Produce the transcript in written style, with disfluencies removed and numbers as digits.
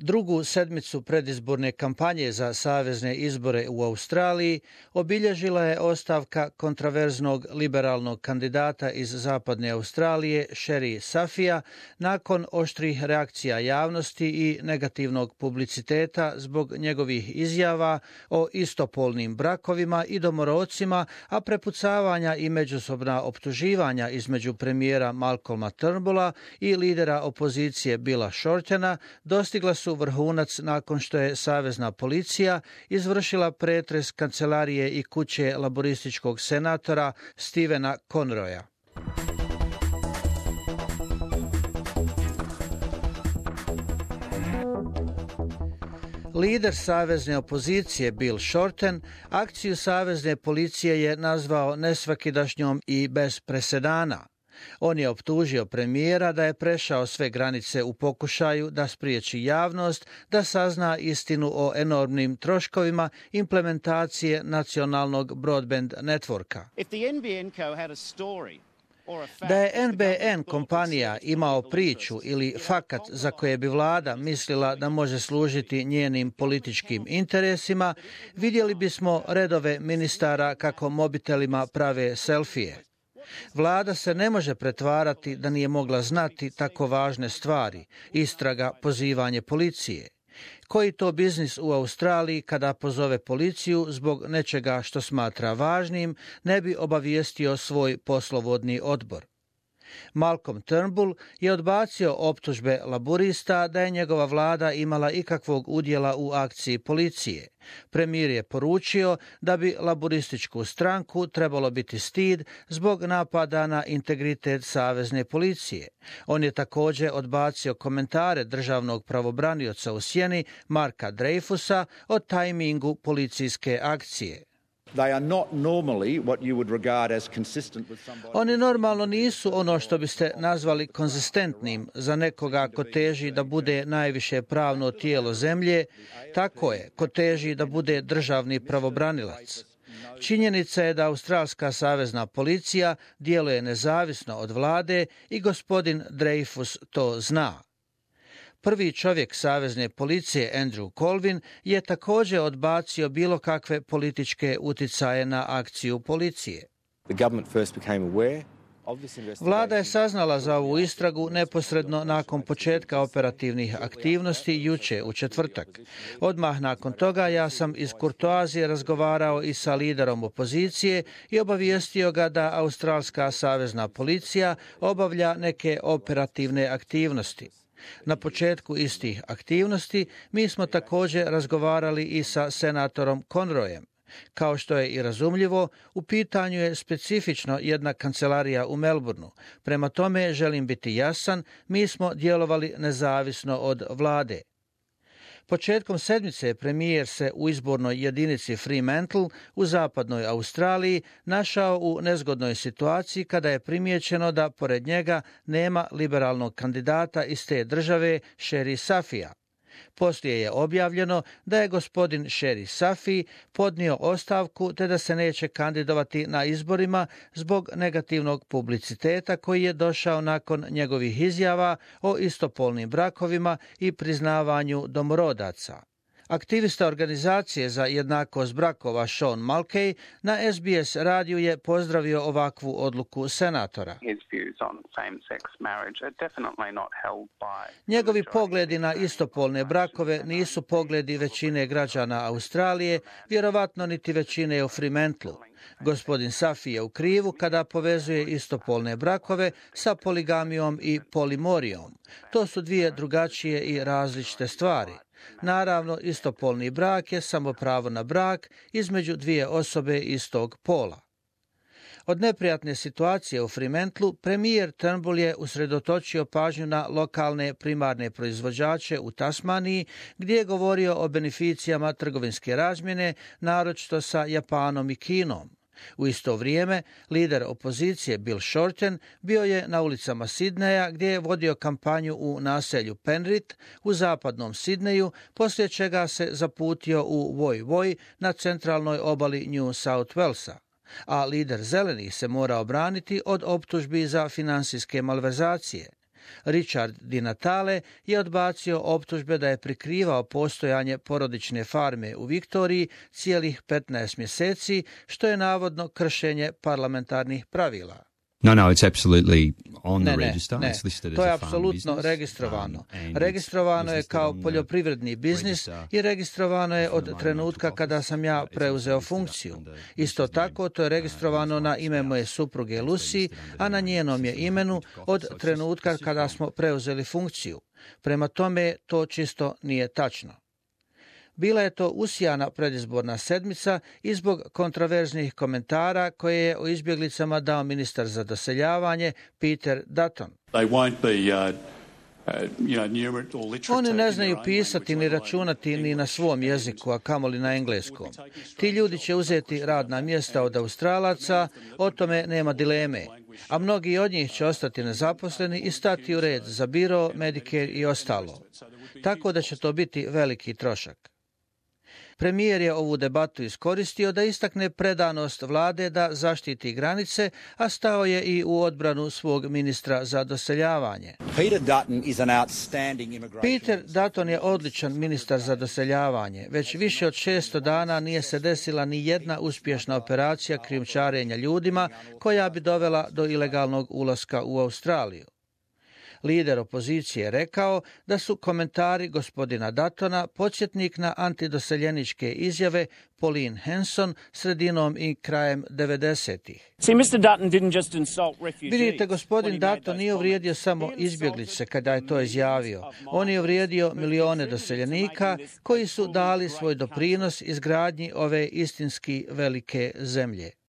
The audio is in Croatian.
Drugu sedmicu predizborne kampanje za savezne izbore u Australiji obilježila je ostavka kontraverznog liberalnog kandidata iz zapadne Australije Sherry Safija nakon oštrih reakcija javnosti i negativnog publiciteta zbog njegovih izjava o istopolnim brakovima i domorodcima, a prepucavanja i međusobna optuživanja između premijera Malcolma Turnbulla i lidera opozicije Billa Shortena dostigla su vrhunac nakon što je savezna policija izvršila pretres kancelarije i kuće laborističkog senatora Stevena Conroya. Lider savezne opozicije Bill Shorten akciju savezne policije je nazvao nesvakidašnjom i bez presedana. On je optužio premijera da je prešao sve granice u pokušaju da spriječi javnost da sazna istinu o enormnim troškovima implementacije nacionalnog broadband networka. Da je NBN kompanija imao priču ili fakat za koje bi vlada mislila da može služiti njenim političkim interesima, vidjeli bismo redove ministara kako mobitelima prave selfije. Vlada se ne može pretvarati da nije mogla znati tako važne stvari, istraga, pozivanje policije. Koji to biznis u Australiji kada pozove policiju zbog nečega što smatra važnim, ne bi obavijestio svoj poslovodni odbor? Malcolm Turnbull je odbacio optužbe laburista da je njegova vlada imala ikakvog udjela u akciji policije. Premijer je poručio da bi laburističku stranku trebalo biti stid zbog napada na integritet savezne policije. On je također odbacio komentare državnog pravobranioca u sjeni Marka Dreyfusa o tajmingu policijske akcije. Oni normalno nisu ono što biste nazvali konzistentnim za nekoga ko teži da bude najviše pravno tijelo zemlje, tako je, ko teži da bude državni pravobranilac. Činjenica je da australska savezna policija djeluje nezavisno od vlade i gospodin Dreyfus to zna. Prvi čovjek savezne policije Andrew Colvin je također odbacio bilo kakve političke uticaje na akciju policije. Vlada je saznala za ovu istragu neposredno nakon početka operativnih aktivnosti jučer u četvrtak. Odmah nakon toga ja sam iz kurtoazije razgovarao i sa liderom opozicije i obavijestio ga da australska savezna policija obavlja neke operativne aktivnosti. Na početku istih aktivnosti mi smo također razgovarali i sa senatorom Conroyem. Kao što je i razumljivo, u pitanju je specifično jedna kancelarija u Melbourneu. Prema tome želim biti jasan, mi smo djelovali nezavisno od vlade. Početkom sedmice premijer se u izbornoj jedinici Fremantle u zapadnoj Australiji našao u nezgodnoj situaciji kada je primijećeno da pored njega nema liberalnog kandidata iz te države Sherry Safija. Poslije je objavljeno da je gospodin Sherry Safi podnio ostavku te da se neće kandidovati na izborima zbog negativnog publiciteta koji je došao nakon njegovih izjava o istopolnim brakovima i priznavanju domorodaca. Aktivista organizacije za jednakost brakova Sean Mulcahy na SBS radiju je pozdravio ovakvu odluku senatora. Njegovi pogledi na istopolne brakove nisu pogledi većine građana Australije, vjerovatno niti većine u Fremantleu. Gospodin Safi je u krivu kada povezuje istopolne brakove sa poligamijom i polimorijom. To su dvije drugačije i različite stvari. Naravno, istopolni brak je samo pravo na brak između dvije osobe istog pola. Od neprijatne situacije u Fremantleu premijer Turnbull je usredotočio pažnju na lokalne primarne proizvođače u Tasmaniji, gdje je govorio o beneficijama trgovinske razmjene, naročito sa Japanom i Kinom. U isto vrijeme, lider opozicije Bill Shorten bio je na ulicama Sidneja gdje je vodio kampanju u naselju Penrith u zapadnom Sidneju, poslije čega se zaputio u Woy Woy na centralnoj obali New South Walesa. A lider zelenih se mora obraniti od optužbi za financijske malverzacije. Richard Di Natale je odbacio optužbe da je prikrivao postojanje porodične farme u Viktoriji cijelih 15 mjeseci, što je navodno kršenje parlamentarnih pravila. No, it's absolutely on the Ne, register. It's listed as to je a farm apsolutno business. registrovano. And Registrovano it's je listed kao on the poljoprivredni biznis register i registrovano je from the od moment trenutka I took kada office. sam ja It's also preuzeo listed funkciju. under Isto Mrs. tako, to je registrovano and na his ime wife moje spouse. supruge It's Lucy, listed under a na their njenom je system imenu when we took od office. So it's trenutka just kada wrong. smo preuzeli funkciju. Prema tome, to čisto nije tačno. Bila je to usijana predizborna sedmica i zbog kontroverznih komentara koje je o izbjeglicama dao ministar za doseljavanje Peter Dutton. Oni ne znaju pisati ni računati ni na svom jeziku, a kamoli na engleskom. Ti ljudi će uzeti radna mjesta od Australaca, o tome nema dileme, a mnogi od njih će ostati nezaposleni i stati u red za biro, Medicare i ostalo. Tako da će to biti veliki trošak. Premijer je ovu debatu iskoristio da istakne predanost vlade da zaštiti granice, a stao je i u odbranu svog ministra za doseljavanje. Peter Dutton je odličan ministar za doseljavanje. Već više od 600 dana nije se desila ni jedna uspješna operacija krijumčarenja ljudima koja bi dovela do ilegalnog ulaska u Australiju. Lider opozicije je rekao da su komentari gospodina Duttona podsjetnik na antidoseljeničke izjave Pauline Hanson sredinom i krajem 90-ih. Vidite, gospodin Dutton nije uvrijedio samo izbjeglice kada je to izjavio. On je uvrijedio milione doseljenika koji su dali svoj doprinos izgradnji ove istinski velike zemlje.